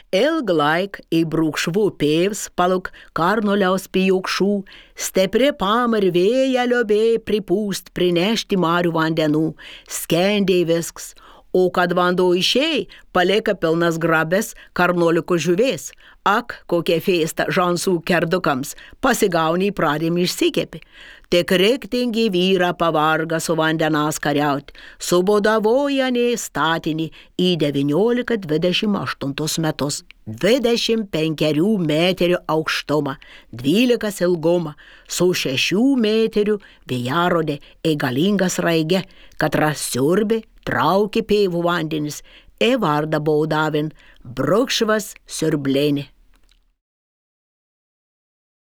Ilg laik į brūkšvų pėvs paluk karnoliaus pijokšų, stipri pamar vėja liobė pripūst prinešti marių vandenų, skendė visks. O kad vanduo išėjai, palieka pilnas grabės karnoliko žuvės. Ak, kokia fėsta žansų kerdukams, pasigauni pradėm išsikepi. Tik riktingi vyra pavarga su vandenas kariauti, subodavojani statinį į 19-28 metus. 25 metrių aukštumą, 12 ilgumą, su 6 metrių vėjarodė galingas raige, katra siurbė, traukė pėvų vandenis, vardą baudavin Brukšvas siurblėni.